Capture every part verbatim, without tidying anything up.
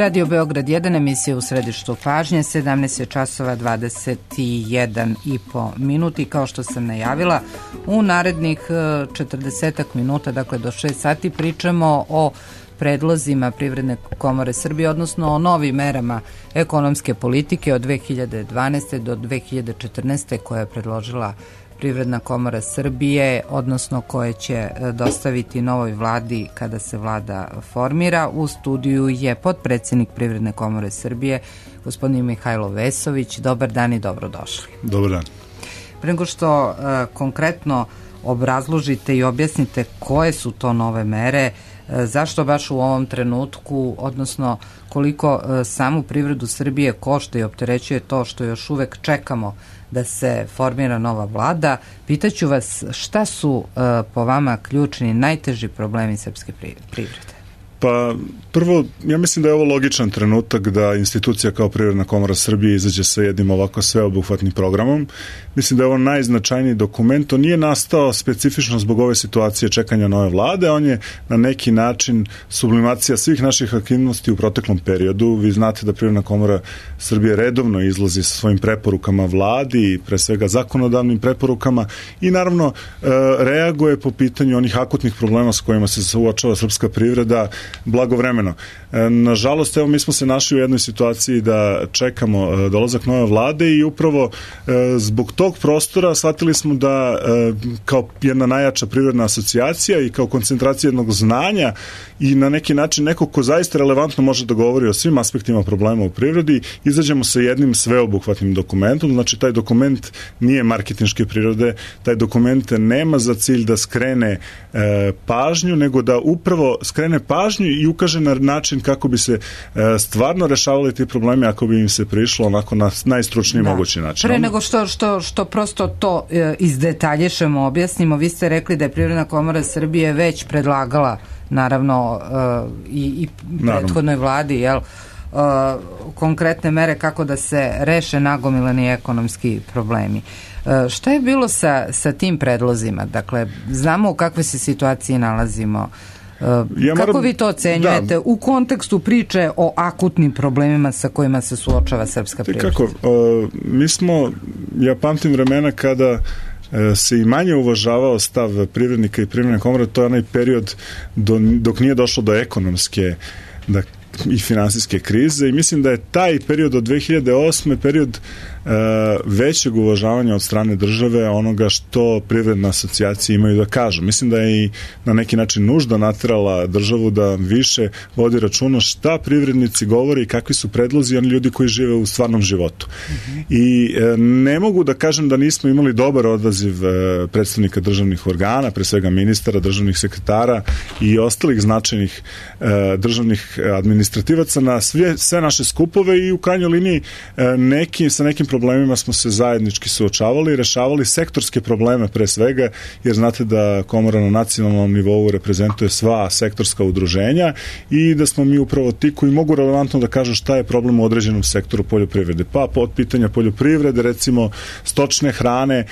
Radio Beograd jedan, emisija u središtu pažnje, sedamnaest časova dvadeset jedan i po minuti. Kao što sam najavila, u narednih četrdesetak minuta, dakle do šest sati, pričamo o predlozima Privredne komore Srbije, odnosno o novim merama ekonomske politike od dve hiljade dvanaeste do dve hiljade četrnaeste koje je predložila Privredna komora Srbije, odnosno koje će dostaviti novoj vladi kada se vlada formira. U studiju je potpredsednik Privredne komore Srbije, gospodin Mihajlo Vesović. Dobar dan i dobrodošli. Dobar dan. Pre nego što uh, konkretno obrazložite i objasnite koje su to nove mere, uh, zašto baš u ovom trenutku, odnosno koliko uh, samu privredu Srbije košta i opterećuje to što još uvek čekamo da se formira nova vlada, pitaću vas šta su uh, po vama ključni, najteži problemi srpske privrede? Pa prvo, ja mislim da je ovo logičan trenutak da institucija kao Privredna komora Srbije izađe sa jednim ovako sveobuhvatnim programom. Mislim da je ovo najznačajniji dokument. On nije nastao specifično zbog ove situacije čekanja nove vlade, on je na neki način sublimacija svih naših aktivnosti u proteklom periodu. Vi znate da Privredna komora Srbije redovno izlazi sa svojim preporukama vladi, pre svega zakonodavnim preporukama, i naravno reaguje po pitanju onih akutnih problema s kojima se suočava srpska privreda blagovremeno. Nažalost, evo, mi smo se našli u jednoj situaciji da čekamo dolazak nove vlade i upravo zbog tog prostora shvatili smo da kao jedna najjača privredna asocijacija i kao koncentracija jednog znanja i na neki način neko ko zaista relevantno može da govori o svim aspektima problema u privredi, izađemo sa jednim sveobuhvatnim dokumentom. Znači, taj dokument nije marketinške prirode, taj dokument nema za cilj da skrene e, pažnju, nego da upravo skrene pažnju i ukaže na način kako bi se e, stvarno rešavali ti problemi ako bi im se prišlo onako na najstručniji da. mogući način. Pre nego što, što, što prosto to e, izdetaljišemo, objasnimo, vi ste rekli da je Privredna komora Srbije već predlagala naravno uh, i, i prethodnoj vladi, jel, uh, konkretne mere kako da se reše nagomilani ekonomski problemi. Uh, šta je bilo sa, sa tim predlozima? Dakle, znamo u kakvoj se situaciji nalazimo. Uh, ja kako moram, vi to ocenjujete da. u kontekstu priče o akutnim problemima sa kojima se suočava srpska privreda? Kako, uh, mi smo, ja pamtim vremena kada se i manje uvažavao stav privrednika i privredne komore, to je onaj period do, dok nije došlo do ekonomske da, i finansijske krize, i mislim da je taj period od dve hiljade osme period e, većeg uvažavanja od strane države onoga što privredne asocijacije imaju da kažu. Mislim da je i na neki način nužda naterala državu da više vodi računa šta privrednici govori i kakvi su predlozi oni ljudi koji žive u stvarnom životu. Mm-hmm. I e, ne mogu da kažem da nismo imali dobar odaziv e, predstavnika državnih organa, pre svega ministara, državnih sekretara i ostalih značajnih e, državnih administrativaca na sve, sve naše skupove, i u krajnjoj liniji e, neki, sa nekim problemima smo se zajednički suočavali i rešavali sektorske probleme pre svega, jer znate da komora na nacionalnom nivou reprezentuje sva sektorska udruženja i da smo mi upravo ti koji mogu relevantno da kažu šta je problem u određenom sektoru poljoprivrede. Pa od pitanja poljoprivrede, recimo stočne hrane,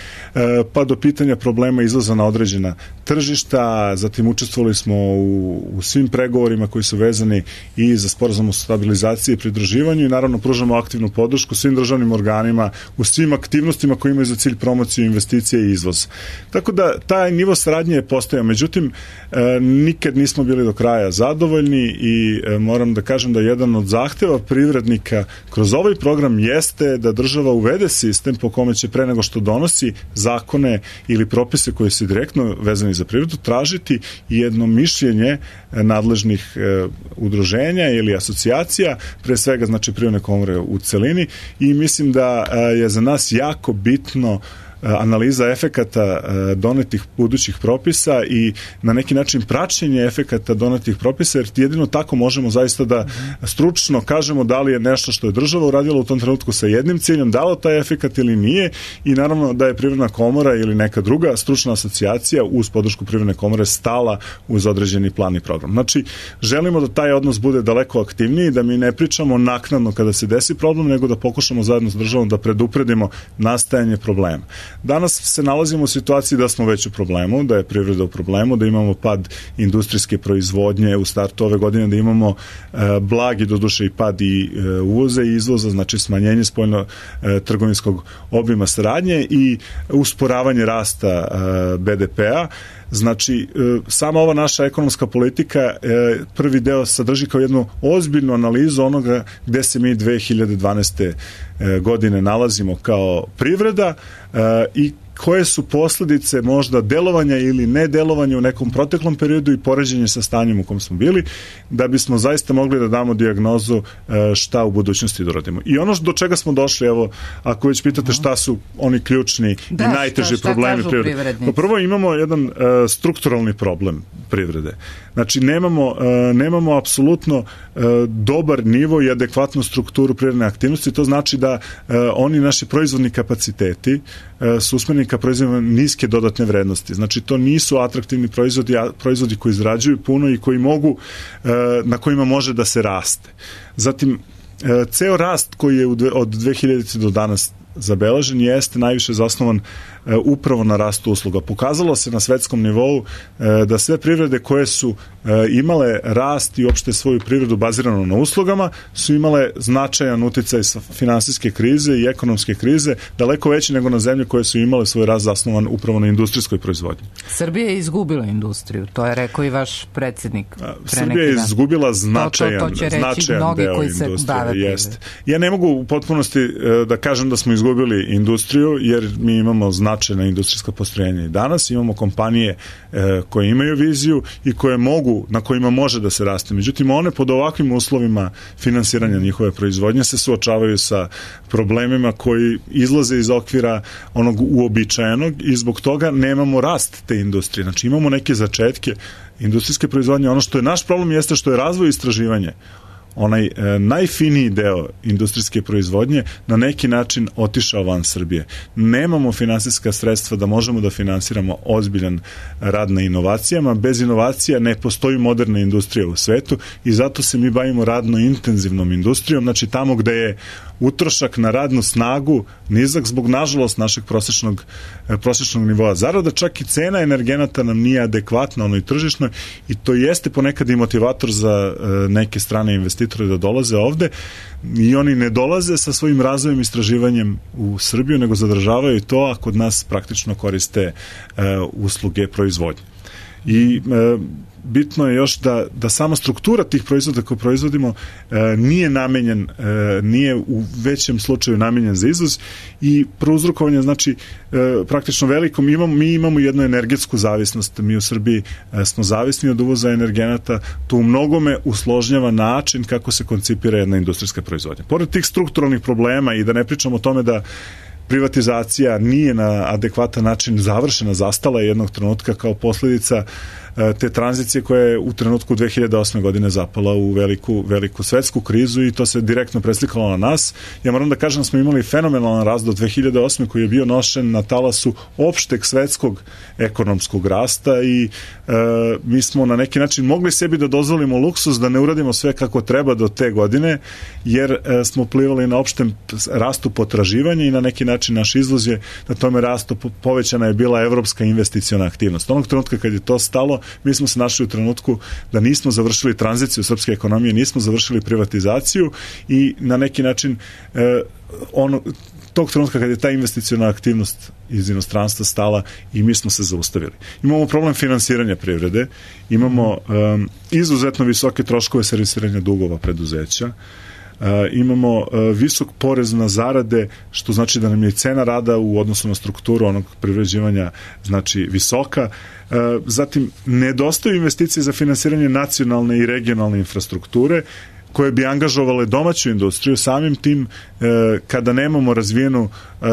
pa do pitanja problema izlaza na određena tržišta. Zatim učestvovali smo u, u svim pregovorima koji su vezani i za sporazum o stabilizaciji i pridruživanju, i naravno pružamo aktivnu podršku svim državnim organima u svim aktivnostima koji imaju za cilj promociju investicije i izvoz. Tako da taj nivo saradnje je postojao. Međutim, e, nikad nismo bili do kraja zadovoljni i e, moram da kažem da jedan od zahteva privrednika kroz ovaj program jeste da država uvede sistem po kome će pre nego što donosi zakone ili propise koji su direktno vezani za privredu tražiti jedno mišljenje nadležnih e, udruženja ili asocijacija, pre svega znači Privredne komore u celini, i mislim da je za nas jako bitno analiza efekata donetih budućih propisa i na neki način praćenje efekata donetih propisa, jer jedino tako možemo zaista da stručno kažemo da li je nešto što je država uradila u tom trenutku sa jednim ciljem, dalo taj efekat ili nije, i naravno da je Privredna komora ili neka druga stručna asocijacija uz podršku Privredne komore stala uz određeni plan i program. Znači, želimo da taj odnos bude daleko aktivniji, da mi ne pričamo naknadno kada se desi problem, nego da pokušamo zajedno s državom da predupredimo nastajanje problema. Danas se nalazimo u situaciji da smo već u problemu, da je privreda u problemu, da imamo pad industrijske proizvodnje u startu ove godine, da imamo e, blagi doduše i pad i e, uvoza i izvoza, znači smanjenje spoljno e, trgovinskog obima saradnje i usporavanje rasta e, be de pe-a. Znači, sama ova naša ekonomska politika prvi deo sadrži kao jednu ozbiljnu analizu onoga gde se mi dve hiljade dvanaeste. godine nalazimo kao privreda i koje su posledice možda delovanja ili nedelovanja u nekom proteklom periodu i poređenje sa stanjem u kom smo bili, da bismo zaista mogli da damo dijagnozu šta u budućnosti da radimo. I ono do čega smo došli, evo, ako već pitate šta su oni ključni da, i najteži šta, šta problemi privrede. Pa prvo imamo jedan uh, strukturalni problem privrede. Znači, nemamo, uh, nemamo apsolutno uh, dobar nivo i adekvatnu strukturu privredne aktivnosti. To znači da uh, oni naši proizvodni kapaciteti uh, su usmereni ka proizvodima niske dodatne vrednosti. Znači, to nisu atraktivni proizvodi, proizvodi koji izrađuju puno i koji mogu, na kojima može da se raste. Zatim, ceo rast koji je od dve hiljadite do danas zabeležen jeste najviše zasnovan upravo na rastu usluga. Pokazalo se na svetskom nivou da sve privrede koje su imale rast i uopšte svoju privredu baziranu na uslugama su imale značajan uticaj sa finansijske krize i ekonomske krize, daleko veći nego na zemlje koje su imale svoj rast zasnovan upravo na industrijskoj proizvodnji. Srbija je izgubila industriju, to je rekao i vaš predsjednik. Srbija je izgubila značajan, to, to, to će značajan deo industrije. Jest. Ja ne mogu u potpunosti da kažem da smo izgubili industriju, jer mi imamo značajna industrijska postrojenja i danas. Imamo kompanije e, koje imaju viziju i koje mogu, na kojima može da se raste. Međutim, one pod ovakvim uslovima finansiranja njihove proizvodnje se suočavaju sa problemima koji izlaze iz okvira onog uobičajenog i zbog toga nemamo rast te industrije. Znači, imamo neke začetke industrijske proizvodnje. Ono što je naš problem jeste što je razvoj i istraživanje, onaj e, najfiniji deo industrijske proizvodnje na neki način otišao van Srbije. Nemamo finansijska sredstva da možemo da finansiramo ozbiljan rad na inovacijama. Bez inovacija ne postoji moderna industrija u svetu i zato se mi bavimo radno intenzivnom industrijom, znači tamo gde je utrošak na radnu snagu nizak zbog, nažalost, našeg prosječnog, prosječnog nivoa zarada, čak i cena energenata nam nije adekvatna onoj tržišnoj i to jeste ponekad i motivator za neke strane investitore da dolaze ovde i oni ne dolaze sa svojim razvojem i istraživanjem u Srbiju, nego zadržavaju to, a kod nas praktično koriste uh, usluge proizvodnje. I uh, bitno je još da, da sama struktura tih proizvoda koje proizvodimo e, nije namenjen, e, nije u većem slučaju namenjen za izvoz i prouzrokovanje, znači e, praktično veliko, mi imamo, mi imamo jednu energetsku zavisnost, mi u Srbiji e, smo zavisni od uvoza energenata, to u mnogome usložnjava način kako se koncipira jedna industrijska proizvodnja. Pored tih strukturalnih problema i da ne pričamo o tome da privatizacija nije na adekvatan način završena, zastala je jednog trenutka kao posledica te tranzicije koja je u trenutku dve hiljade osme. godine zapala u veliku, veliku svetsku krizu i to se direktno preslikalo na nas. Ja moram da kažem da smo imali fenomenalan rast do dve hiljade osme. koji je bio nošen na talasu opšteg svetskog ekonomskog rasta i e, mi smo na neki način mogli sebi da dozvolimo luksuz da ne uradimo sve kako treba do te godine, jer e, smo plivali na opštem rastu potraživanja i na neki način naš izvoz je na tome rastu, povećana je bila evropska investiciona aktivnost. Onog trenutka kad je to stalo, mi smo se našli u trenutku da nismo završili tranziciju srpske ekonomije, nismo završili privatizaciju i na neki način e, ono, tog trenutka kad je ta investiciona aktivnost iz inostranstva stala i mi smo se zaustavili. Imamo problem finansiranja privrede, imamo um, izuzetno visoke troškove servisiranja dugova preduzeća, Uh, imamo uh, visok porez na zarade, što znači da nam je cena rada u odnosu na strukturu onog privređivanja znači visoka. Uh, zatim, nedostaju investicije za finansiranje nacionalne i regionalne infrastrukture koje bi angažovale domaću industriju, samim tim uh, kada nemamo razvijenu uh,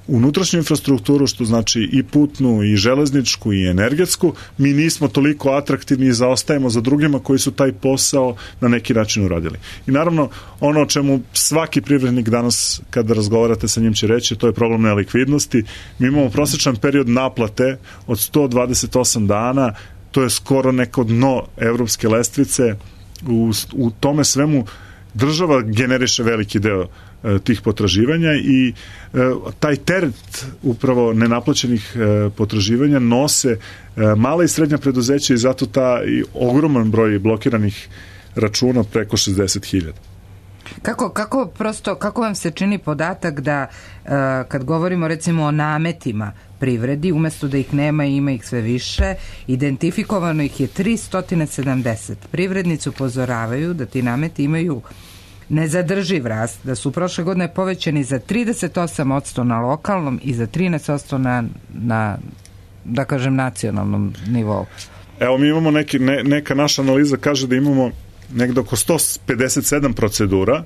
unutrašnju infrastrukturu, što znači i putnu, i železničku, i energetsku, mi nismo toliko atraktivni i zaostajemo za drugima koji su taj posao na neki način uradili. I naravno, ono o čemu svaki privrednik danas, kada razgovarate sa njim, će reći, to je problem nelikvidnosti. Mi imamo prosječan period naplate od sto dvadeset osam dana, to je skoro neko dno evropske lestvice. U, u tome svemu država generiše veliki deo tih potraživanja i taj teret upravo nenaplaćenih potraživanja nose mala i srednja preduzeća i zato ta i ogroman broj blokiranih računa preko šezdeset hiljada. Kako, kako prosto, kako vam se čini podatak da kad govorimo recimo o nametima privredi, umesto da ih nema i ima ih sve više, identifikovano ih je tristo sedamdeset. Privrednici upozoravaju da ti nameti imaju nezadrživ rast, da su prošle godine povećani za trideset osam posto na lokalnom i za trinaest posto na, na da kažem, nacionalnom nivou. Evo, mi imamo neki, ne, neka naša analiza kaže da imamo negde oko sto pedeset sedam procedura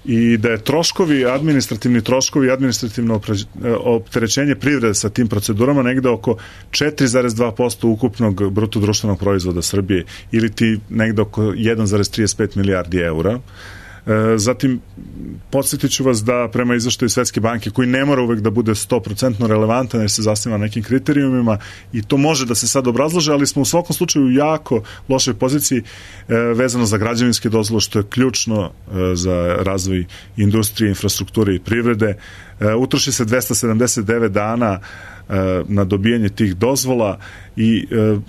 i da je troškovi, administrativni troškovi, administrativno opterećenje privrede sa tim procedurama negde oko četiri zarez dva posto ukupnog bruto društvenog proizvoda Srbije ili ti negde oko jedan zarez trideset pet milijardi eura. Zatim, podsjetit ću vas da prema izveštaju Svetske banke, koji ne mora uvek da bude sto posto relevantan jer se zasniva na nekim kriterijumima i to može da se sad obrazlože, ali smo u svakom slučaju u jako lošoj poziciji vezano za građevinske dozvole, što je ključno za razvoj industrije, infrastrukture i privrede. Utroši se dvesta sedamdeset devet dana na dobijanje tih dozvola i e,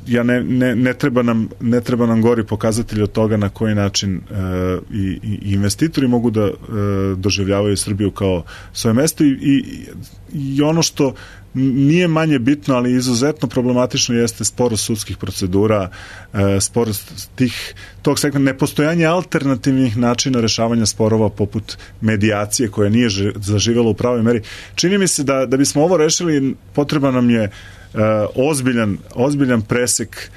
ja ne, ne, ne, treba nam, ne treba nam gori pokazatelj od toga na koji način e, i, i investitori mogu da e, doživljavaju Srbiju kao svoje mesto i, i, i ono što nije manje bitno, ali izuzetno problematično jeste sporost sudskih procedura, e, sporost tih, tog segmenta, nepostojanje alternativnih načina rešavanja sporova poput medijacije koja nije zaživjela u pravoj meri. Čini mi se da, da bismo ovo rešili, potreban nam je e, ozbiljan, ozbiljan presek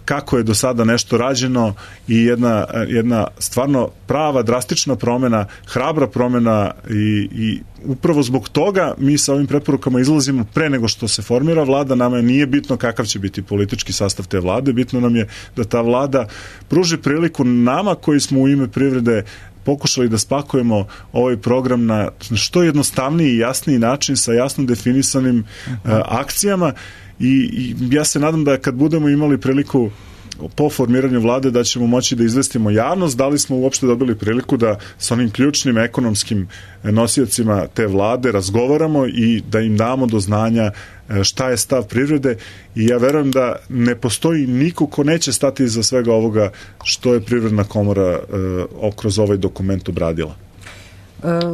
kako je do sada nešto rađeno i jedna, jedna stvarno prava, drastična promena, hrabra promena i, i upravo zbog toga mi sa ovim preporukama izlazimo pre nego što se formira vlada. Nama nije bitno kakav će biti politički sastav te vlade, bitno nam je da ta vlada pruži priliku nama koji smo u ime privrede pokušali da spakujemo ovaj program na što jednostavniji i jasniji način sa jasno definisanim uh, akcijama i, i ja se nadam da kad budemo imali priliku po formiranju vlade da ćemo moći da izvestimo javnost da li smo uopšte dobili priliku da sa onim ključnim ekonomskim nosiocima te vlade razgovaramo i da im damo do znanja šta je stav privrede i ja verujem da ne postoji niko ko neće stati iza svega ovoga što je Privredna komora uh, kroz ovaj dokument obradila.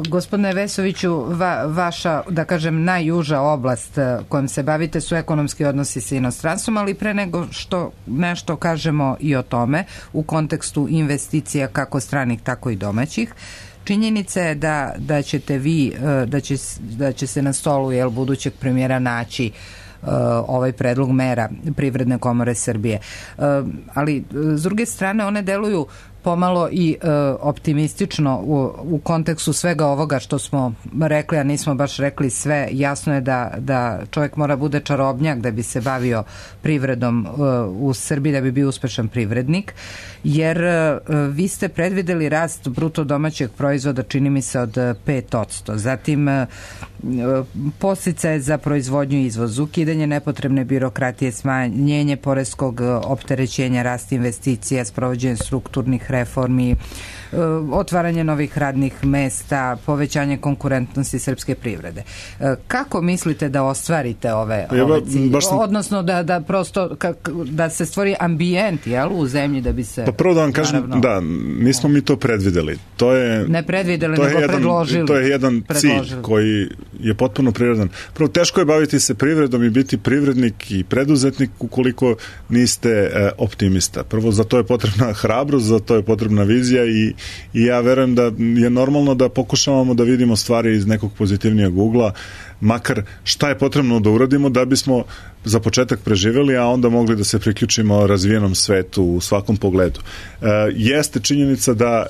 Gospodine Vesoviću, va, vaša, da kažem, najuža oblast kojom se bavite su ekonomski odnosi sa inostranstvom, ali pre nego što nešto kažemo i o tome u kontekstu investicija kako stranih, tako i domaćih, činjenica je da, da ćete vi, da će, da će se na stolu jel, budućeg premijera naći ovaj predlog mera Privredne komore Srbije. Ali s druge strane one deluju pomalo i e, optimistično u, u kontekstu svega ovoga što smo rekli, a nismo baš rekli sve. Jasno je da, da čovjek mora bude čarobnjak da bi se bavio privredom e, u Srbiji, da bi bio uspešan privrednik, jer e, vi ste predvideli rast bruto domaćeg proizvoda, čini mi se, od pet posto. Zatim e, podsticaje za proizvodnju i izvoz, ukidanje nepotrebne birokratije, smanjenje poreskog opterećenja, rast investicija, sprovođenje strukturnih reformi, otvaranje novih radnih mesta, povećanje konkurentnosti srpske privrede. Kako mislite da ostvarite ove, ja, ove cilje? Sam... Odnosno da, da prosto kak, da se stvori ambijent, jel, u zemlji da bi se... Pa prvo da vam kažem, naravno, da, nismo mi to predvideli. To je, ne predvideli, to nego je jedan, predložili. To je jedan predložili. cilj koji je potpuno prirodan. Prvo, teško je baviti se privredom i biti privrednik i preduzetnik ukoliko niste e, optimista. Prvo, za to je potrebna hrabrost, za to je potrebna vizija i, i ja verujem da je normalno da pokušavamo da vidimo stvari iz nekog pozitivnijeg ugla, makar šta je potrebno da uradimo da bismo za početak preživjeli, a onda mogli da se priključimo razvijenom svetu u svakom pogledu. E, jeste činjenica da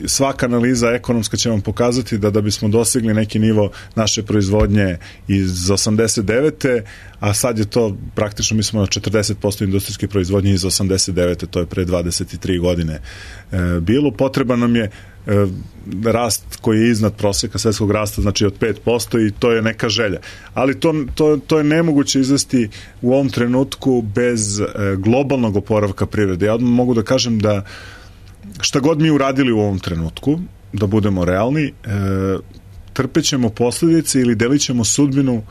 svaka analiza ekonomska će vam pokazati da da bismo dosegli neki nivo naše proizvodnje iz osamdeset devete a sad je to praktično, mi smo na četrdeset posto industrijske proizvodnje iz osamdeset devete to je pre dvadeset tri godine e, bilo. Potreban nam je e, rast koji je iznad proseka svetskog rasta, znači od pet posto i to je neka želja. Ali to, to, to je nemoguće izvesti u ovom trenutku bez e, globalnog oporavka privrede. Ja odmah mogu da kažem da šta god mi uradili u ovom trenutku, da budemo realni, e, trpećemo posljedice ili delit ćemo sudbinu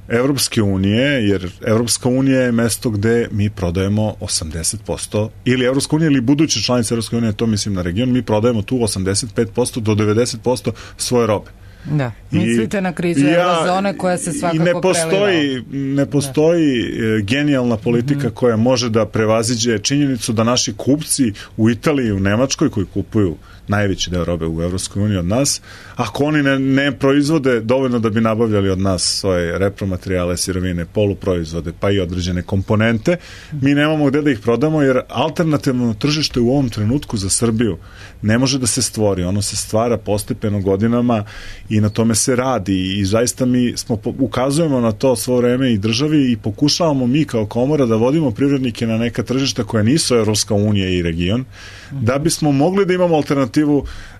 Evropske unije, jer Evropska unija je mesto gde mi prodajemo osamdeset posto, ili Evropska unija ili buduće članice Evropske unije, to mislim na region, mi prodajemo tu osamdeset pet posto do devedeset posto svoje robe. Da, mislite I, na krizu ja, eurozone koja se svakako ne postoji, preliva. Ne postoji da. genijalna politika mm-hmm. koja može da prevaziđe činjenicu da naši kupci u Italiji i u Nemačkoj, koji kupuju najveći deo robe u Evropskoj uniji od nas, ako oni ne, ne proizvode dovoljno da bi nabavljali od nas svoje repromaterijale, sirovine, poluproizvode, pa i određene komponente, mi nemamo gde da ih prodamo, jer alternativno tržište u ovom trenutku za Srbiju ne može da se stvori. Ono se stvara postepeno godinama i na tome se radi i zaista mi smo, ukazujemo na to svo vreme i državi i pokušavamo mi kao komora da vodimo privrednike na neka tržišta koja nisu Evropska unija i region, mm-hmm. da bismo mogli da imamo alternativu,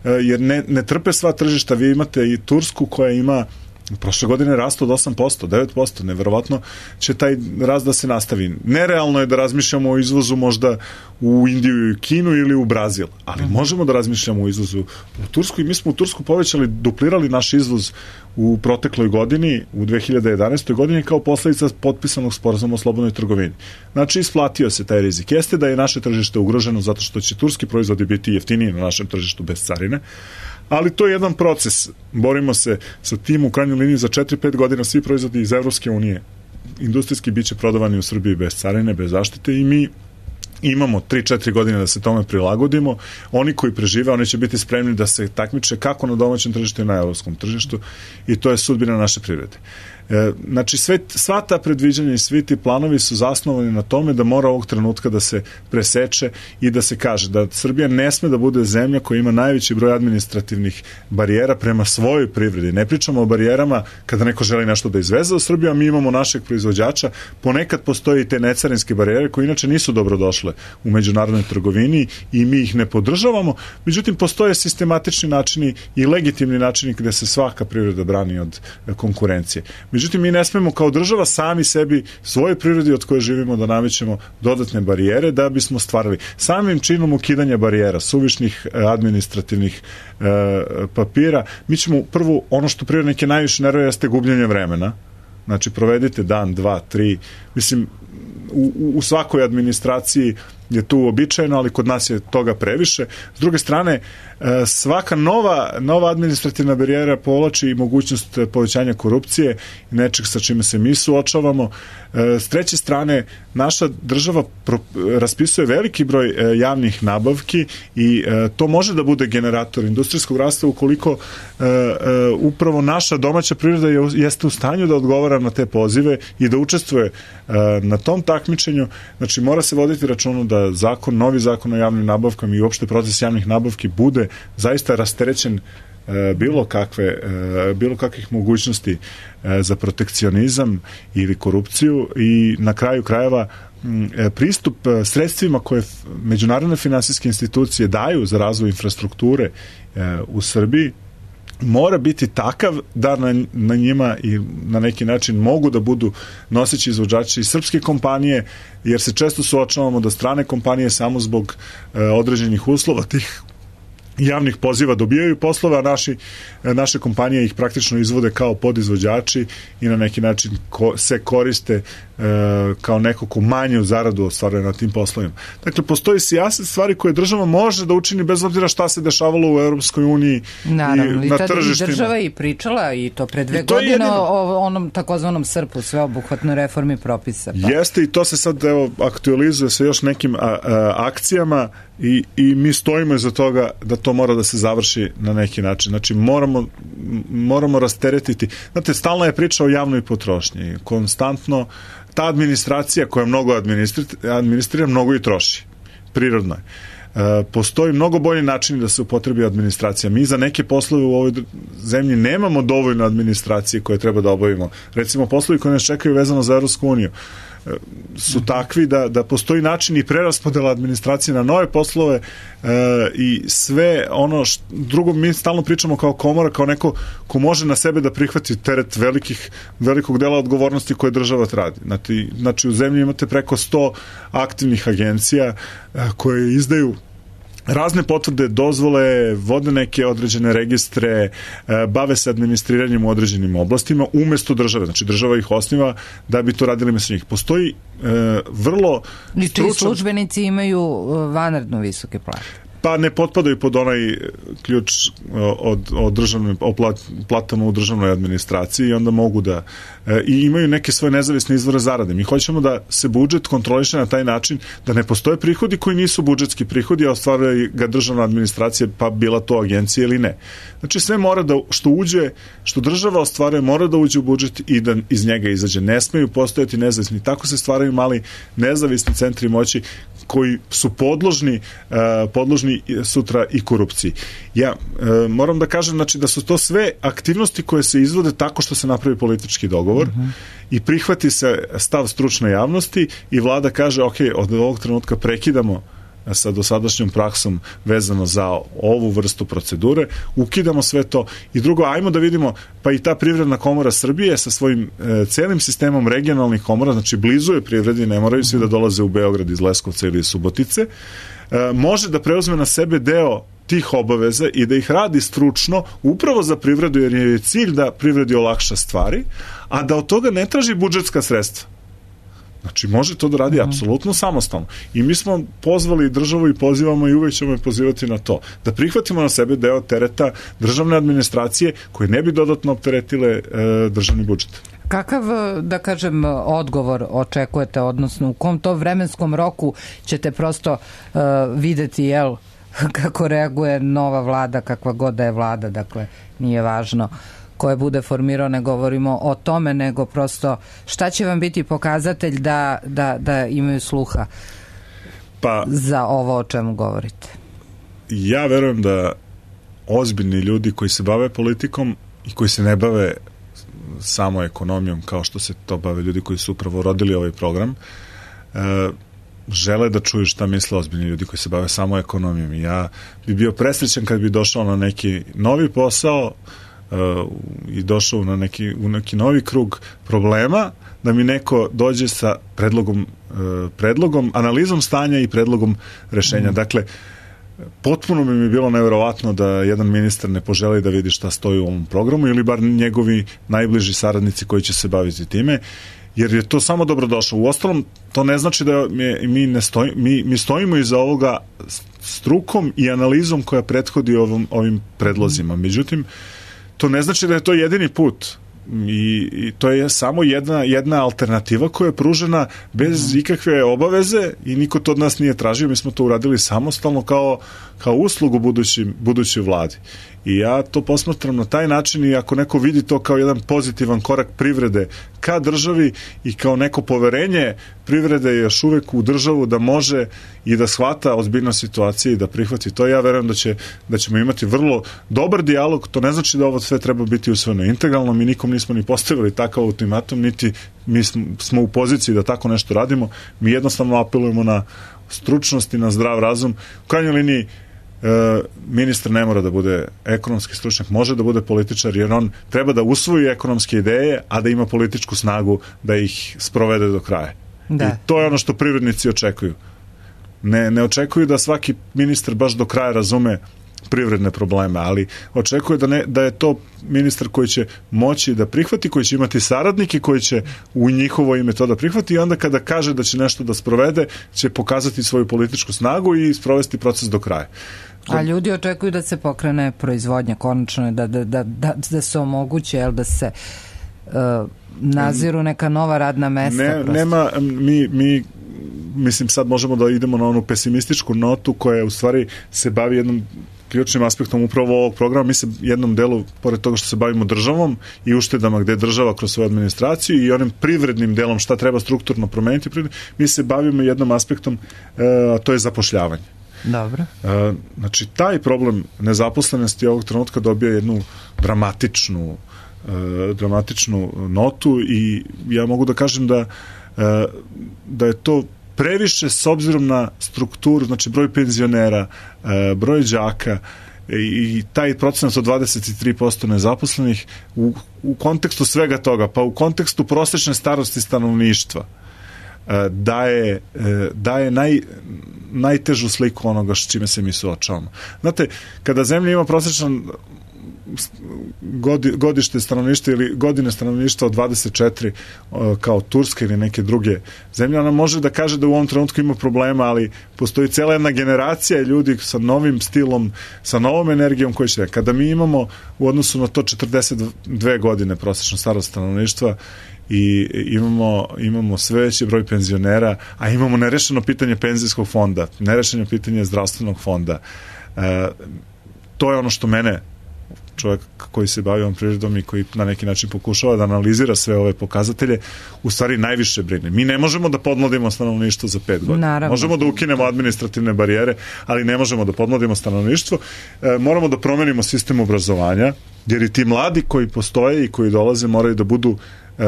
jer ne, ne trpe sva tržišta. Vi imate i Tursku koja ima prošle godine rast od osam posto, devet posto, neverovatno će taj rast da se nastavi. Nerealno je da razmišljamo o izvozu možda u Indiju i Kinu ili u Brazil, ali mm-hmm. možemo da razmišljamo o izvozu u Tursku i mi smo u Tursku povećali, duplirali naš izvoz u protekloj godini, u dve hiljade jedanaestoj godini kao posledica potpisanog sporazuma o slobodnoj trgovini. Znači, isplatio se taj rizik. Jeste da je naše tržište ugroženo zato što će turski proizvodi biti jeftiniji na našem tržištu bez carine, ali to je jedan proces. Borimo se sa tim u krajnjoj liniji za četiri pet godina svi proizvodi iz Evropske unije industrijski biće prodavani u Srbiji bez carine, bez zaštite i mi imamo tri četiri godine da se tome prilagodimo. Oni koji prežive, oni će biti spremni da se takmiče kako na domaćem tržištu i na evropskom tržištu i to je sudbina naše privrede. E, znači sve, sva ta predviđanja i svi ti planovi su zasnovani na tome da mora ovog trenutka da se preseče i da se kaže da Srbija ne sme da bude zemlja koja ima najveći broj administrativnih barijera prema svojoj privredi. Ne pričamo o barijerama kada neko želi nešto da izveze u Srbiju, a mi imamo našeg proizvođača. Ponekad postoji i te necarinske barijere koje inače nisu dobrodošle u međunarodnoj trgovini i mi ih ne podržavamo. Međutim, postoje sistematični načini i legitimni načini gde se svaka privreda brani od konkurencije. Međutim, mi ne smemo kao država sami sebi, svoje prirodi od koje živimo, da namećemo dodatne barijere da bismo stvarali. Samim činom ukidanja barijera, suvišnih administrativnih e, papira, mi ćemo prvo, ono što privrednike najviše nervira jeste gubljenje vremena. Znači, provedite dan, dva, tri, mislim, u, u svakoj administraciji je tu uobičajeno, ali kod nas je toga previše. S druge strane, svaka nova, nova administrativna barijera povlači i mogućnost povećanja korupcije i nečeg sa čime se mi suočavamo. S treće strane, naša država pro, raspisuje veliki broj javnih nabavki i to može da bude generator industrijskog rasta ukoliko upravo naša domaća privreda jeste u stanju da odgovara na te pozive i da učestvuje na tom takmičenju. Znači, mora se voditi računa da zakon, novi zakon o javnim nabavkama i uopšte proces javnih nabavki bude zaista rasterećen e, bilo kakve e, bilo kakvih mogućnosti e, za protekcionizam ili korupciju i na kraju krajeva m, e, pristup sredstvima koje međunarodne finansijske institucije daju za razvoj infrastrukture e, u Srbiji mora biti takav da na, na njima i na neki način mogu da budu noseći izvođači i srpske kompanije, jer se često suočavamo da strane kompanije samo zbog e, određenih uslova tih javnih poziva dobijaju poslove, a naši, naše kompanije ih praktično izvode kao podizvođači i na neki način ko, se koriste e, kao neko ko manju zaradu ostvaruje na tim poslovima. Dakle, postoji sijaset stvari koje država može da učini bez obzira šta se dešavalo u Europskoj uniji Naravno, i na tržištima. I država i pričala i to pre dve godine jedino o onom takozvanom srpu, sveobuhvatnoj reformi propisa. Pa. Jeste i to se sad evo, aktualizuje sa još nekim a, a, akcijama i, i mi stojimo iza toga da to mora da se završi na neki način. Znači, moramo, moramo rasteretiti. Znate, stalna je priča o javnoj potrošnji. Konstantno, ta administracija koja mnogo administrira, administrira mnogo i troši. Prirodno je. E, postoji mnogo bolji način da se upotrebi administracija. Mi za neke poslove u ovoj zemlji nemamo dovoljno administracije koje treba da obavimo. Recimo, poslovi koji nas čekaju vezano za Evropsku uniju su takvi da, da postoji način i preraspodela administracije na nove poslove e, i sve ono što, drugo mi stalno pričamo kao komora, kao neko ko može na sebe da prihvati teret velikih, velikog dela odgovornosti koje država radi. Znači, znači u zemlji imate preko sto aktivnih agencija e, koje izdaju razne potvrde, dozvole, vode neke određene registre, bave se administriranjem u određenim oblastima umesto države. Znači država ih osniva da bi to radili mesto njih. Postoji e, vrlo stručan... I čiji službenici imaju vanredno visoke plate? Pa ne potpadaju pod onaj ključ od, od državne, o plat, platama u državnoj administraciji i onda mogu da e, i imaju neke svoje nezavisne izvore zarade. Mi hoćemo da se budžet kontroliše na taj način da ne postoje prihodi koji nisu budžetski prihodi, a ostvaruje ga državna administracija, pa bila to agencija ili ne. Znači sve mora da, što uđe, što država ostvaruje, mora da uđe u budžet i da iz njega izađe. Ne smeju postojati nezavisni. Tako se stvaraju mali nezavisni centri moći koji su podložni, uh, podložni sutra i korupciji. Ja uh, moram da kažem znači, da su to sve aktivnosti koje se izvode tako što se napravi politički dogovor uh-huh. i prihvati se stav stručne javnosti i vlada kaže ok, od ovog trenutka prekidamo sa dosadašnjom praksom vezano za ovu vrstu procedure, ukidamo sve to i drugo, ajmo da vidimo, pa i ta Privredna komora Srbije sa svojim e, celim sistemom regionalnih komora, znači blizu je privredi, ne moraju svi da dolaze u Beograd iz Leskovca ili iz Subotice, e, može da preuzme na sebe deo tih obaveza i da ih radi stručno upravo za privredu, jer je cilj da privredi olakša stvari, a da od toga ne traži budžetska sredstva. Znači, može to da radi mm. apsolutno samostalno. I mi smo pozvali državu i pozivamo i uvek ćemo je pozivati na to. Da prihvatimo na sebe deo tereta državne administracije koje ne bi dodatno opteretile e, državni budžet. Kakav, da kažem, odgovor očekujete, odnosno u kom to vremenskom roku ćete prosto uh, videti, jel, kako reaguje nova vlada, kakva god da je vlada, dakle, nije važno koje bude formirao, ne govorimo o tome, nego prosto šta će vam biti pokazatelj da, da, da imaju sluha pa, za ovo o čemu govorite? Ja verujem da ozbiljni ljudi koji se bave politikom i koji se ne bave samo ekonomijom kao što se to bave ljudi koji su upravo rodili ovaj program, e, žele da čuju šta misle ozbiljni ljudi koji se bave samo ekonomijom. I ja bi bio presrećan kad bi došao na neki novi posao Uh, i došao na neki, u neki novi krug problema, da mi neko dođe sa predlogom, uh, predlogom, analizom stanja i predlogom rešenja. Mm. Dakle, potpuno bi mi bilo neverovatno da jedan ministar ne poželi da vidi šta stoji u ovom programu ili bar njegovi najbliži saradnici koji će se baviti time, jer je to samo dobrodošlo. Uostalom, to ne znači da mi, mi, ne stoji, mi, mi stojimo iza ovoga strukom i analizom koja prethodi ovom, ovim predlozima. Međutim, to ne znači da je to jedini put i, i to je samo jedna, jedna alternativa koja je pružena bez ikakve obaveze i niko to od nas nije tražio, mi smo to uradili samostalno kao, kao uslugu budući, budućoj vladi. I ja to posmatram na taj način i ako neko vidi to kao jedan pozitivan korak privrede ka državi i kao neko poverenje privrede još uvek u državu da može i da shvata ozbiljnost situacije i da prihvati to, ja verujem da, će, da ćemo imati vrlo dobar dijalog. To ne znači da ovo sve treba biti usvojeno integralno, mi nikom nismo ni postavili takav ultimatum, niti mi smo u poziciji da tako nešto radimo, mi jednostavno apelujemo na stručnost i na zdrav razum. U krajnjoj liniji E, ministar ne mora da bude ekonomski stručnjak, može da bude političar, jer on treba da usvoji ekonomske ideje, a da ima političku snagu da ih sprovede do kraja. Da. I to je ono što privrednici očekuju. Ne, ne očekuju da svaki ministar baš do kraja razume privredne probleme, ali očekuje da, ne, da je to ministar koji će moći da prihvati, koji će imati saradnike koji će u njihovo ime to da prihvati i onda kada kaže da će nešto da sprovede, će pokazati svoju političku snagu i sprovesti proces do kraja. A ljudi očekuju da se pokrene proizvodnja konačno, da, da, da, da, da se omoguće, jel, da se uh, naziru neka nova radna mesta. Ne, nema, mi, mi mislim sad možemo da idemo na onu pesimističku notu koja u stvari se bavi jednom ključnim aspektom upravo ovog programa. Mi se jednom delu, pored toga što se bavimo državom i uštedama gde država kroz svoju administraciju i onim privrednim delom šta treba strukturno promeniti, mi se bavimo jednom aspektom, a to je zapošljavanje. Dobro. Znači, taj problem nezaposlenosti ovog trenutka dobija jednu dramatičnu dramatičnu notu i ja mogu da kažem da da je to previše s obzirom na strukturu, znači broj penzionera, broj đaka i taj procenat od dvadeset tri posto nezaposlenih u, u kontekstu svega toga, pa u kontekstu prosečne starosti stanovništva, daje, daje naj, najtežu sliku onoga s čime se mi suočavamo. Znate, kada zemlja ima prosječan godi, godište stanovništva ili godine stanovništva od dvadeset četiri kao Turska ili neke druge zemlje, ona može da kaže da u ovom trenutku ima problema, ali postoji cela jedna generacija ljudi sa novim stilom, sa novom energijom koji će... Kada mi imamo u odnosu na to četrdeset dve godine prosječno starost stanovništva i imamo, imamo sve veći broj penzionera, a imamo nerešeno pitanje penzijskog fonda, nerešeno pitanje zdravstvenog fonda. E, to je ono što mene, čovjek koji se bavi ovom prirodom i koji na neki način pokušava da analizira sve ove pokazatelje, u stvari najviše brine. Mi ne možemo da podmladimo stanovništvo za pet godina. Naravno. Možemo da ukinemo administrativne barijere, ali ne možemo da podmladimo stanovništvo. E, moramo da promenimo sistem obrazovanja, jer i ti mladi koji postoje i koji dolaze moraju da budu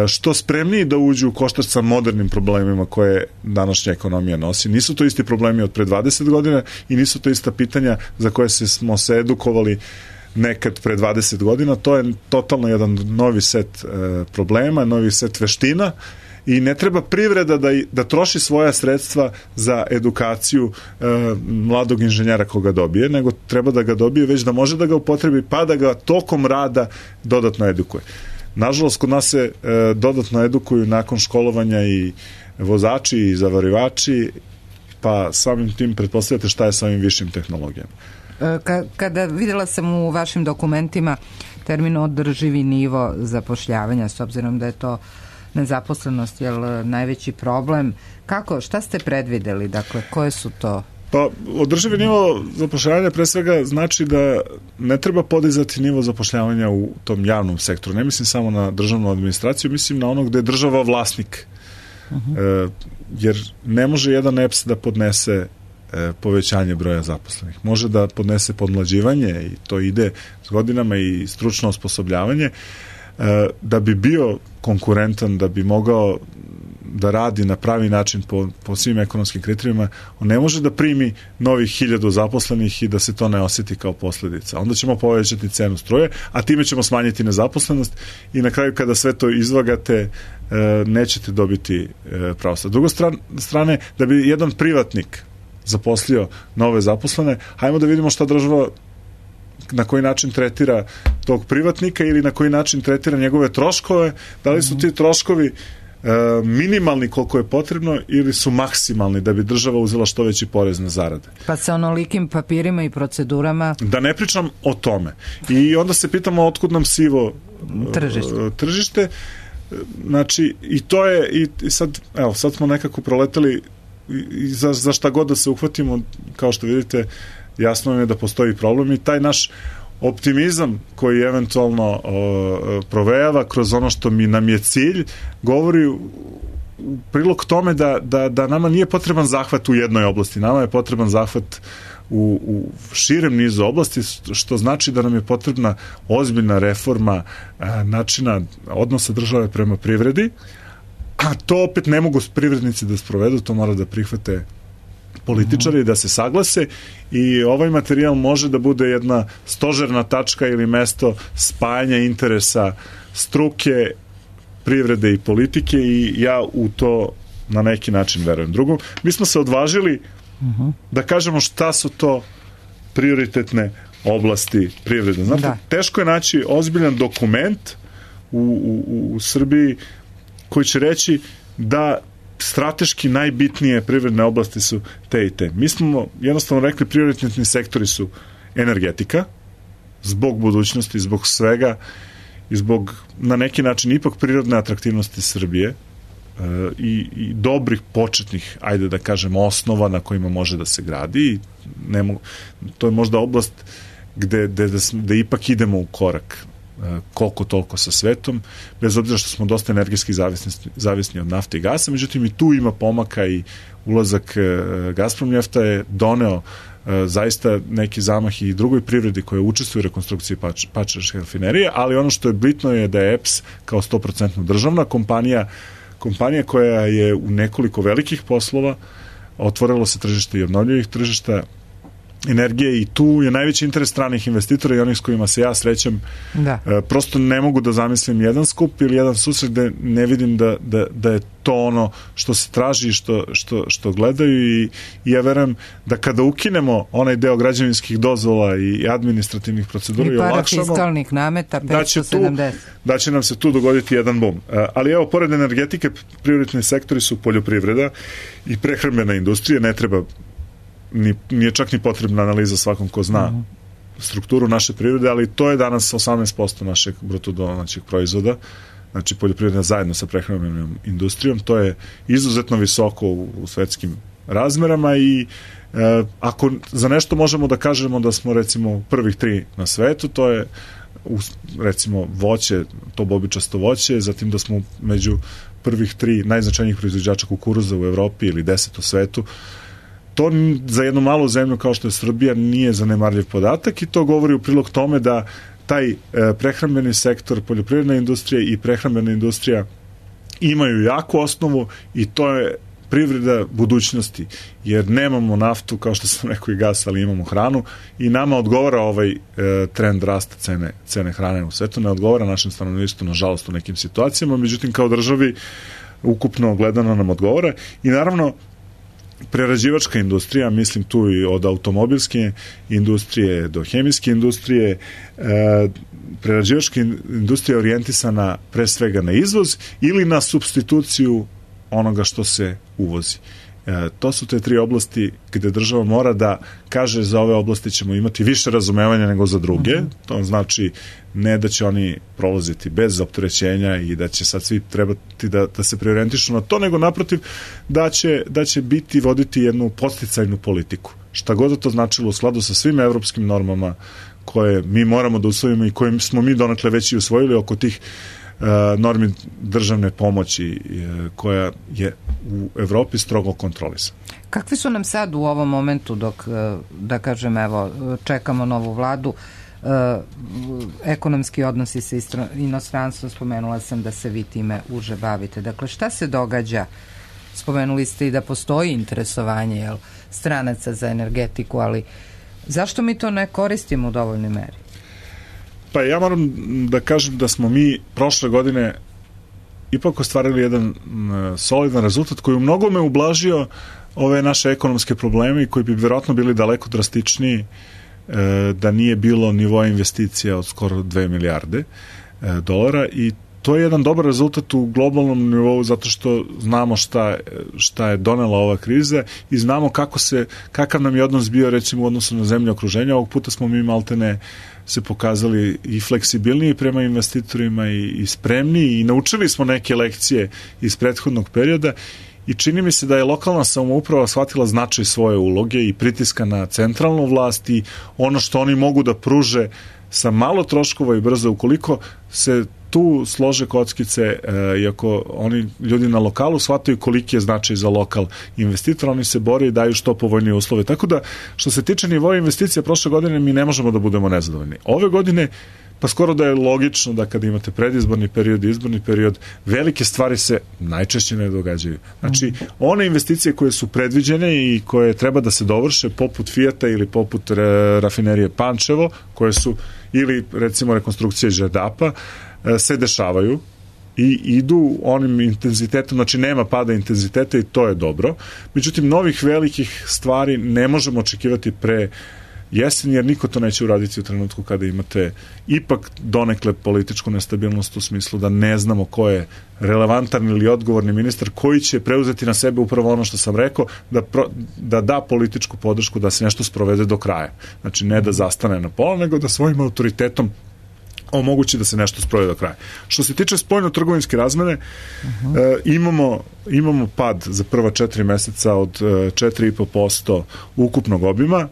što spremniji da uđu u koštac sa modernim problemima koje današnja ekonomija nosi. Nisu to isti problemi od pre dvadeset godina i nisu to ista pitanja za koje se, smo se edukovali nekad pre dvadeset godina. To je totalno jedan novi set e, problema, novi set veština i ne treba privreda da, da troši svoja sredstva za edukaciju e, mladog inženjera koga dobije, nego treba da ga dobije već da može da ga upotrebi pa da ga tokom rada dodatno edukuje. Nažalost, kod nas se e, dodatno edukuju nakon školovanja i vozači i zavarivači, pa samim tim pretpostavljate šta je sa ovim višim tehnologijama. Ka, kada videla sam u vašim dokumentima termin održivi nivo zapošljavanja, s obzirom da je to nezaposlenost, je najveći problem. Kako, šta ste predvideli? Dakle, koje su to? Pa, održivi nivo zapošljavanja pre svega znači da ne treba podizati nivo zapošljavanja u tom javnom sektoru. Ne mislim samo na državnu administraciju, mislim na ono gde je država vlasnik. Uh-huh. E, jer ne može jedan E P S da podnese e, povećanje broja zaposlenih. Može da podnese podmlađivanje i to ide s godinama i stručno osposobljavanje. E, da bi bio konkurentan, da bi mogao da radi na pravi način po, po svim ekonomskim kriterijima, on ne može da primi novih hiljadu zaposlenih i da se to ne osjeti kao posljedica. Onda ćemo povećati cenu struje, a time ćemo smanjiti nezaposlenost i na kraju kada sve to izvagate nećete dobiti pravo. Sa druge strane, da bi jedan privatnik zaposlio nove zaposlene, hajmo da vidimo šta država na koji način tretira tog privatnika ili na koji način tretira njegove troškove, da li su ti troškovi minimalni koliko je potrebno ili su maksimalni da bi država uzela što veći porez na zarade. Pa sa onolikim papirima i procedurama... Da ne pričam o tome. I onda se pitamo otkud nam sivo tržište. tržište. Znači, i to je, i sad, evo, sad smo nekako proletali i za, za šta god da se uhvatimo, kao što vidite, jasno je da postoji problem i taj naš optimizam koji eventualno o, provejava kroz ono što mi nam je cilj, govori u prilog tome da, da, da nama nije potreban zahvat u jednoj oblasti, nama je potreban zahvat u, u širem nizu oblasti, što znači da nam je potrebna ozbiljna reforma a, načina odnosa države prema privredi, a to opet ne mogu privrednici da sprovedu, to mora da prihvate političari, da se saglase i ovaj materijal može da bude jedna stožerna tačka ili mesto spajanja interesa struke, privrede i politike i ja u to na neki način verujem. Drugo, mi smo se odvažili uh-huh. da kažemo šta su to prioritetne oblasti privrede. Znate, da. Teško je naći ozbiljan dokument u, u, u Srbiji koji će reći da strateški najbitnije privredne oblasti su te i te. Mi smo jednostavno rekli prioritetni sektori su energetika, zbog budućnosti, zbog svega i zbog na neki način ipak prirodne atraktivnosti Srbije e, i, i dobrih početnih, ajde da kažem, osnova na kojima može da se gradi i ne mogu, to je možda oblast gde, gde, gde ipak idemo u korak koliko toliko sa svetom, bez obzira što smo dosta energetski zavisni, zavisni od nafte i gasa, međutim i tu ima pomaka i ulazak Gazprom nafta je doneo zaista neki zamah i drugoj privredi koja učestvuje u rekonstrukciji Pač, Pačerske rafinerije, ali ono što je bitno je da je E P S kao sto posto državna kompanija, kompanija koja je u nekoliko velikih poslova, otvorilo se tržište i obnovljivih tržišta, energije i tu je najveći interes stranih investitora i onih s kojima se ja srećem. Da. E, prosto ne mogu da zamislim jedan skup ili jedan susret gde ne vidim da, da, da je to ono što se traži, što, što, što gledaju i, i ja verujem da kada ukinemo onaj deo građevinskih dozvola i administrativnih procedura i, i parafiskalnih nameta petsto sedamdeset. Da će, tu, da će nam se tu dogoditi jedan bum. E, ali evo, pored energetike, prioritni sektori su poljoprivreda i prehrambena industrija. Ne treba Ni, nije čak ni potrebna analiza svakom ko zna uh-huh. strukturu naše privrede, ali to je danas osamnaest posto našeg bruto domaćeg proizvoda, znači poljoprivreda zajedno sa prehrambenom industrijom, to je izuzetno visoko u, u svetskim razmerama i e, ako za nešto možemo da kažemo da smo recimo prvih tri na svetu, to je u, recimo voće, to bobičasto voće, zatim da smo među prvih tri najznačajnijih proizvođača kukuruza u Evropi ili deset u svetu. To za jednu malu zemlju kao što je Srbija nije zanemarljiv podatak i to govori u prilog tome da taj e, prehrambeni sektor, poljoprivredna industrija i prehrambena industrija imaju jaku osnovu i to je privreda budućnosti, jer nemamo naftu, kao što sam rekao, i gas, ali imamo hranu i nama odgovara ovaj e, trend rasta cene, cene hrane u svetu, ne odgovara našem stanovništvu, nažalost, u nekim situacijama, međutim, kao državi ukupno gledano nam odgovara i naravno prerađivačka industrija, mislim tu i od automobilske industrije do hemijske industrije, e, prerađivačka industrija je orijentisana pre svega na izvoz ili na supstituciju onoga što se uvozi. E, to su te tri oblasti gde država mora da kaže za ove oblasti ćemo imati više razumevanja nego za druge. Mm-hmm. To znači ne da će oni prolaziti bez opterećenja i da će sad svi trebati da, da se preorijentišu na to, nego naprotiv da će, da će biti voditi jednu podsticajnu politiku. Šta god da to značilo u skladu sa svim evropskim normama koje mi moramo da usvojimo i koje smo mi donekle već i usvojili oko tih normi državne pomoći koja je u Evropi strogo kontrolisana. Kakvi su nam sad u ovom momentu dok, da kažem, evo, čekamo novu vladu, ekonomski odnosi sa inostranstvom, spomenula sam da se vi time uže bavite. Dakle, šta se događa? Spomenuli ste i da postoji interesovanje jel, stranaca za energetiku, ali zašto mi to ne koristimo u dovoljnoj meri? Pa ja moram da kažem da smo mi prošle godine ipak ostvarili jedan solidan rezultat koji u mnogome ublažio ove naše ekonomske probleme i koji bi vjerojatno bili daleko drastičniji da nije bilo nivoa investicija od skoro dve milijarde dolara i to je jedan dobar rezultat u globalnom nivou zato što znamo šta, šta je donela ova kriza i znamo kako se, kakav nam je odnos bio recimo u odnosu na zemlje okruženja. Ovog puta smo mi maltene se pokazali i fleksibilniji prema investitorima i, i spremniji i naučili smo neke lekcije iz prethodnog perioda i čini mi se da je lokalna samouprava shvatila značaj svoje uloge i pritiska na centralnu vlast i ono što oni mogu da pruže sa malo troškova i brzo ukoliko se tu slože kockice, e, iako oni ljudi na lokalu shvataju koliki je značaj za lokal investitora, oni se bore i daju što povoljnije uslove. Tako da, što se tiče nivoa investicija prošle godine, mi ne možemo da budemo nezadovoljni. Ove godine, pa skoro da je logično da kada imate predizborni period i izborni period, velike stvari se najčešće ne događaju. Znači, one investicije koje su predviđene i koje treba da se dovrše, poput Fijata ili poput re, rafinerije Pančevo, koje su, ili recimo rekonstrukcije Đerdapa, se dešavaju i idu onim intenzitetom, znači nema pada intenziteta i to je dobro. Međutim, novih velikih stvari ne možemo očekivati pre jesen, jer niko to neće uraditi u trenutku kada imate ipak donekle političku nestabilnost u smislu da ne znamo ko je relevantan ili odgovorni ministar koji će preuzeti na sebe upravo ono što sam rekao, da, pro, da da političku podršku da se nešto sprovede do kraja. Znači ne da zastane na pola, nego da svojim autoritetom omogući da se nešto sprovede do kraja. Što se tiče spoljno-trgovinske razmene, uh-huh. e, imamo, imamo pad za prva četiri meseca od e, četiri i po posto ukupnog obima.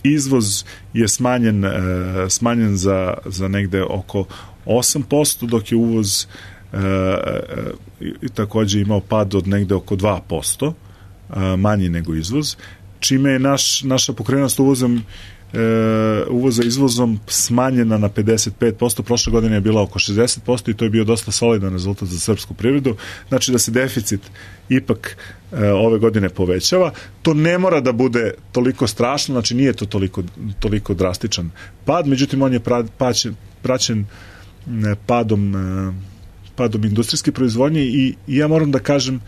Izvoz je smanjen, e, smanjen za, za negde oko osam posto, dok je uvoz e, e, takođe imao pad od negde oko dva posto, e, manji nego izvoz, čime je naš, naša pokrenost uvozom e, uvoza izvozom smanjena na pedeset pet posto, prošle godine je bila oko šezdeset posto i to je bio dosta solidan rezultat za srpsku privredu. Znači da se deficit ipak e, ove godine povećava. To ne mora da bude toliko strašno, znači nije to toliko, toliko drastičan pad, međutim on je pra, paćen, praćen e, padom, e, padom industrijske proizvodnje i, i ja moram da kažem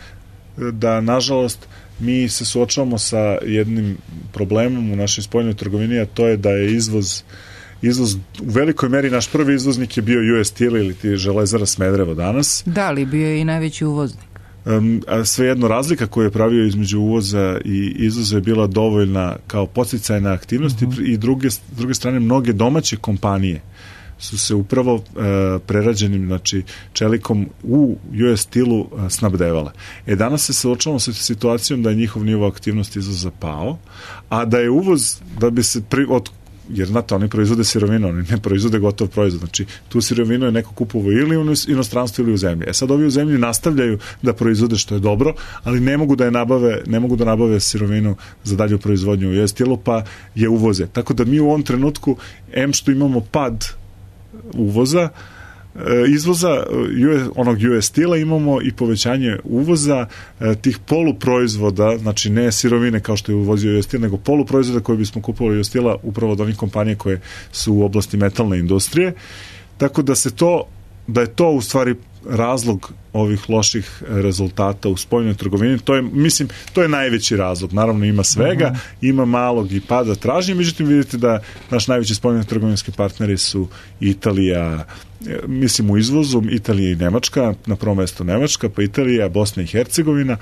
da nažalost mi se suočavamo sa jednim problemom u našoj spoljnoj trgovini, a to je da je izvoz izvoz u velikoj meri, naš prvi izvoznik je bio U S Steel ili ti Železara Smederevo danas. Da, ali bio je i najveći uvoznik. Um, a svejedno razlika koju je pravio između uvoza i izvoza je bila dovoljna kao podsticajna aktivnost uh-huh. i druge, s druge strane mnoge domaće kompanije su se upravo e, prerađenim, znači čelikom u U S Steelu e, snabdevale. E danas se suočavamo sa situacijom da je njihov nivo aktivnosti izvoza pao, a da je uvoz, da bi se pri, od, jer znate, oni proizvode sirovinu, oni ne proizvode gotov proizvod, znači tu sirovinu je neko kupovao ili u inostranstvu ili u zemlji. E sad ovi u zemlji nastavljaju da proizvode, što je dobro, ali ne mogu da je nabave, ne mogu da nabave sirovinu za dalju proizvodnju u U S Steelu, pa je uvoze. Tako da mi u ovom trenutku, em što imamo pad uvoza, izvoza onog U S Steela, imamo i povećanje uvoza tih poluproizvoda, znači ne sirovine kao što je uvozio U S Steel, nego poluproizvoda koje bismo kupovali U S Steela upravo od onih kompanije koje su u oblasti metalne industrije. Tako da se to, da je to u stvari razlog ovih loših rezultata u spoljnoj trgovini. To je, mislim, to je najveći razlog. Naravno ima svega, uh-huh. ima malog i pada tražnje, međutim vidite da naš najveći spoljno trgovinski partneri su Italija, mislim u izvozu, Italija i Nemačka, na prvom mjestu Nemačka, pa Italija, Bosna i Hercegovina.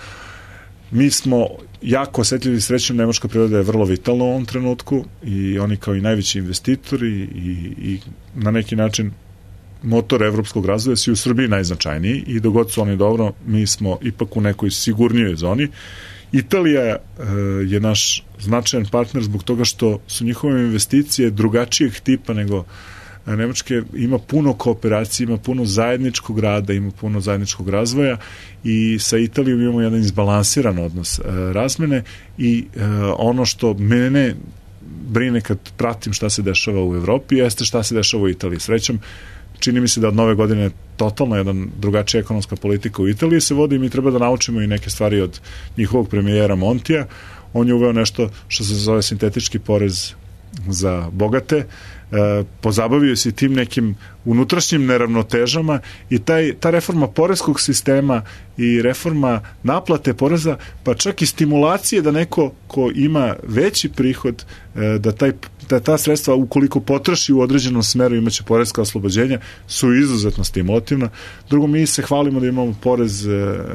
Mi smo jako osjetljivi, srećom nemačka priroda je vrlo vitalna u ovom trenutku i oni kao i najveći investitori i, i na neki način motor evropskog razvoja su u Srbiji najznačajniji i dok god su oni dobro, mi smo ipak u nekoj sigurnijoj zoni. Italija e, je naš značajan partner zbog toga što su njihove investicije drugačijeg tipa nego Nemačke, ima puno kooperacije, ima puno zajedničkog rada, ima puno zajedničkog razvoja i sa Italijom imamo jedan izbalansiran odnos e, razmene i e, ono što mene brine kad pratim šta se dešava u Evropi jeste šta se dešava u Italiji. Srećom, čini mi se da od nove godine totalno jedan drugačija ekonomska politika u Italiji se vodi i mi treba da naučimo i neke stvari od njihovog premijera Montija. On je uveo nešto što se zove sintetički porez za bogate, e, pozabavio se tim nekim unutrašnjim neravnotežama i taj, ta reforma poreskog sistema i reforma naplate poreza, pa čak i stimulacije da neko ko ima veći prihod, e, da taj da ta sredstva ukoliko potroši u određenom smeru imaće poreska oslobođenja, su izuzetno stimulativna. Drugo, mi se hvalimo da imamo porez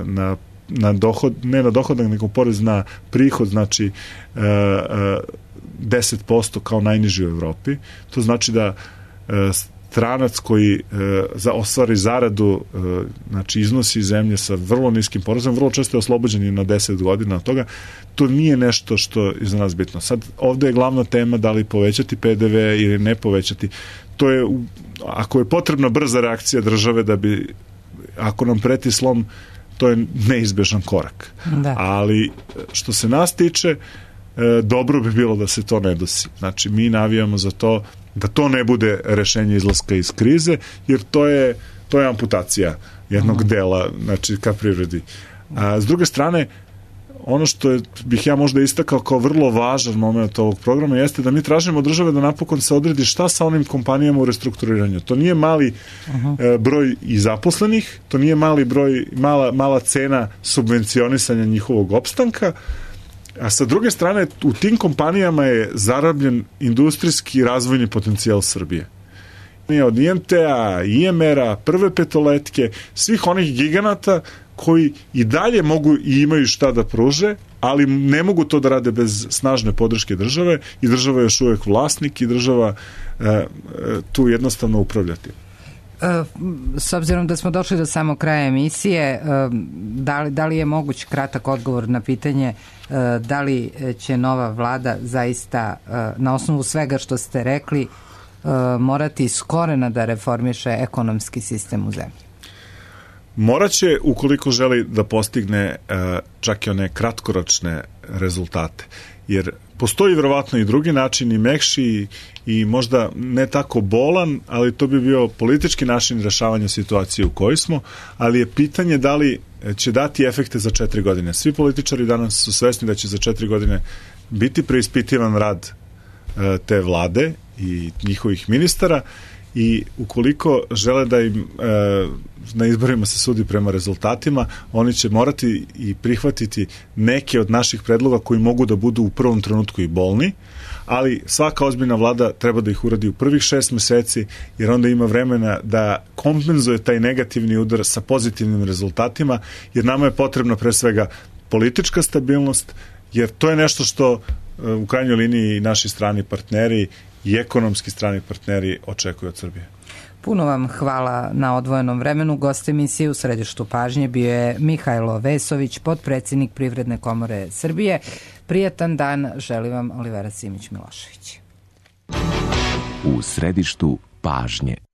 na, na dohod, ne na dohodak, nego porez na prihod, znači e, e, deset posto kao najniži u Evropi. To znači da e, stranac koji e, za ostvari zaradu, e, znači iznosi zemlje sa vrlo niskim porezom, vrlo često je oslobođen i na deset godina od toga. To nije nešto što je za nas bitno. Sad, ovde je glavna tema da li povećati P D V ili ne povećati. To je, ako je potrebna brza reakcija države da bi, ako nam preti slom, to je neizbežan korak. Da. Ali, što se nas tiče, dobro bi bilo da se to ne desi. Znači, mi navijamo za to da to ne bude rešenje izlaska iz krize, jer to je, to je amputacija jednog uh-huh. dela, znači, ka privredi. A s druge strane, ono što je, bih ja možda istakao kao vrlo važan moment ovog programa jeste da mi tražimo od države da napokon se odredi šta sa onim kompanijama u restrukturiranju. To nije mali uh-huh. e, broj i zaposlenih, to nije mali broj, mala, mala cena subvencionisanja njihovog opstanka, a sa druge strane u tim kompanijama je zarabljen industrijski razvojni potencijal Srbije. Od I M T-a, I M R-a, Prve petoletke, svih onih giganata koji i dalje mogu i imaju šta da pruže, ali ne mogu to da rade bez snažne podrške države i država je još uvek vlasnik i država e, e, tu jednostavno upravljati. S obzirom da smo došli do samog kraja emisije, da li, da li je moguć kratak odgovor na pitanje da li će nova vlada zaista na osnovu svega što ste rekli morati iz korena da reformiše ekonomski sistem u zemlji? Moraće, ukoliko želi da postigne čak i one kratkoročne rezultate, jer postoji vjerovatno i drugi način, i mekši i, i možda ne tako bolan, ali to bi bio politički način rešavanja situacije u kojoj smo, ali je pitanje da li će dati efekte za četiri godine. Svi političari danas su svesni da će za četiri godine biti preispitivan rad e, te vlade i njihovih ministara, i ukoliko žele da im e, na izborima se sudi prema rezultatima, oni će morati i prihvatiti neke od naših predloga koji mogu da budu u prvom trenutku i bolni, ali svaka ozbiljna vlada treba da ih uradi u prvih šest meseci, jer onda ima vremena da kompenzuje taj negativni udar sa pozitivnim rezultatima, jer nama je potrebna pre svega politička stabilnost, jer to je nešto što u krajnjoj liniji naši strani partneri i ekonomski strani partneri očekuju od Srbije. Puno vam hvala na odvojenom vremenu. Gost emisije u središtu pažnje bio je Mihajlo Vesović, potpredsednik Privredne komore Srbije. Prijatan dan želi vam Olivera Simić Milošević. U središtu pažnje.